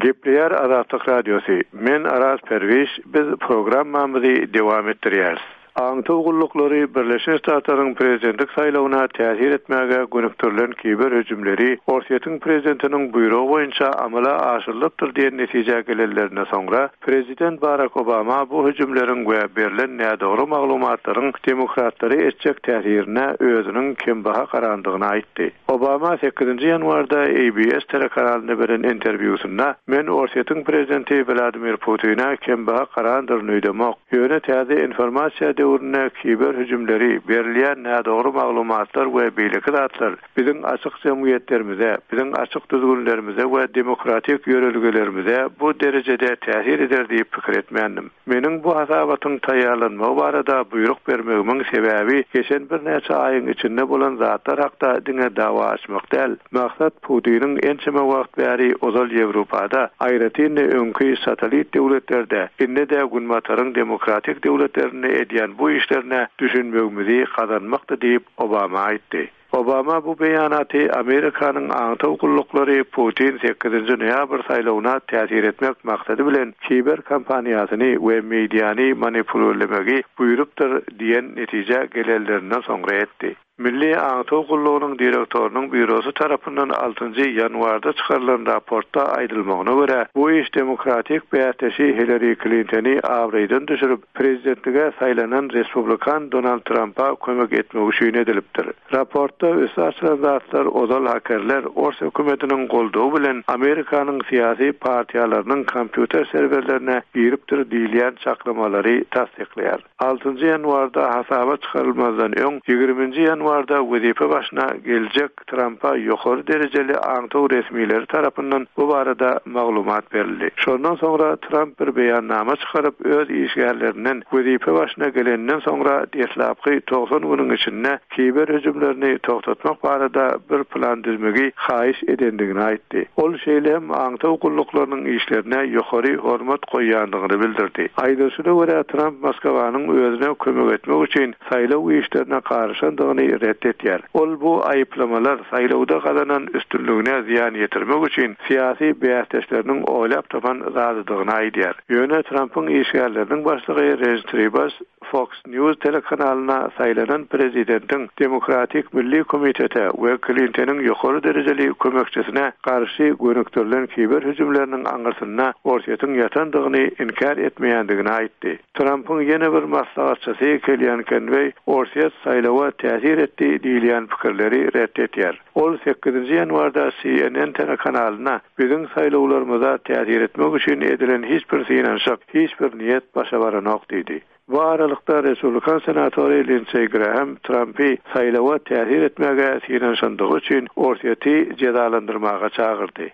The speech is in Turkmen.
Gepleýär Azatlyk Radiosy, Men Araz Perwiş, biz programmamyzy dowam etdirýäris. Aňtaw gulluklary Birleşen Ştatlaryň prezidentlik saýlawyna täsir etmäge gönükdirilen kiber hüjümleri Orsýetiň prezidentiniň buýrugy boýunça amala aşyrylypdyr diýen netijä gelenlerinde soňra, prezident Barak Obama bu hüjümleriň we berlen nädogry maglumatlaryň demokratlara etjek täsirine özüniň kembaha garandygyny aýtdy. Obama sekizinji ýanwarda ABS telekanalynda beren interwýusynda, Men Orsýetiň prezidenti Wladimir Putine kembaha garandyryn öýdemok. Ýöne täze informasiýa döwründe kiber hüjümleri, berilýän nädogry maglumatlar we beýleki zatlar biziň açyk jemgyýetlerimize, biziň açyk düzgünlerimize we demokratik ýörelgelerimize bu derejede täsir eder diýip pikir etmändim. Meniň bu hasabatyň taýýarlanmagy barada buýruk bermegimiň sebäbi geçen birnäçe aýyň içinde bolan zatlar hakda diňe dawa açmak däl. Maksat Putiniň ençeme wagt bäri ozal Ýewropada, aýratyn-da öňki satellit döwletlerde, indi-de Günbataryň demokratik döwletlerinde edýän bu işlerine düşünmegimizi gazanmakdy diýip, Obama aýtdy. Obama bu beýanaty Amerikanyň aňtaw gulluklary Putin sekizinji noýabr saýlawyna täsir etmek maksady bilen kiber kampaniýasyny we mediany manipulirlemegi buýrupdyr diýen netijä gelenlerinden soňra etdi. Milli aňtaw gullugynyň direktorynyň býurosy tarapyndan altynjy ýanwarda çykarylan raportda aýdylmagyna görä, bu iş demokratik bäsdeşi Hillari Klintony abraýdan düşürip, Prezidentlige saýlanan respublikan Donald Trampa kömek etmek üçin edilipdir. Raportda üsti açylan zatlar ozal hakerler ors hökümetiniň goldawy bilen Amerikanyň syýasy partiýalarynyň kompýuter serwerlerine giripdir diýilýän çaklamalary tassyklaýar. Altynjy ýanwarda hasaba çykarylmazdan öň, ýigriminji ýanwarda wezipe başyna geljek Trampa ýokary derejeli aňtaw resmileri tarapyndan bu barada maglumat berildi. Şondan soňra Tramp bir beýannama çykaryp, öz işgärlerinden wezipe başyna geleninden soňra deslapky 90 günüň içinde kiber hüjümlerini togtatmak barada bir plan düzmegi haýyş edendigini aýtdy. Ol şeýle hem aňtaw gulluklarynyň işlerine ýokary hormat goýýandygyny bildirdi. Aýdylyşyna görä, Tramp Moskwanyň özüne kömek etmek üçin saýlaw işlerine garyşandygyny ret etýär. Ol bu aýyplamalar saýlawda gazanan üstünligine zyýan ýetirmek üçin syýasy bäsdeşleriniň oýlap tapan zadydygyny aýdýar. Ýöne Trampyň işgärleriniň başlygy Renç Tribas Fox News telekanalyna saýlanan prezidentiň Demokratik milli komitete we Klintonyň ýokary derejeli kömekçisine garşy gönükdirilen kiber hüjümleriniň aňyrsynda Orsýetiň ýatandygyny inkär etmeýändigini aýtdy. Trampyň ýene bir maslahatçysy Kellýan Kenweý Orsýet saýlawa täsir etdi diýilýän pikirleri ret etýär. Ol sekizinji ýanwarda CNN telekanalyna Biziň saýlawlarymyza täsir etmek üçin edilen hiç bir synanyşyk, hiç bir niýet başa baranok diýdi. Bu aralykda, respublikan senatory Lindseý Graham Trampy saýlawa täsir etmäge synanyşandygy üçin Orsýeti jezalandyrmaga çagyrdy.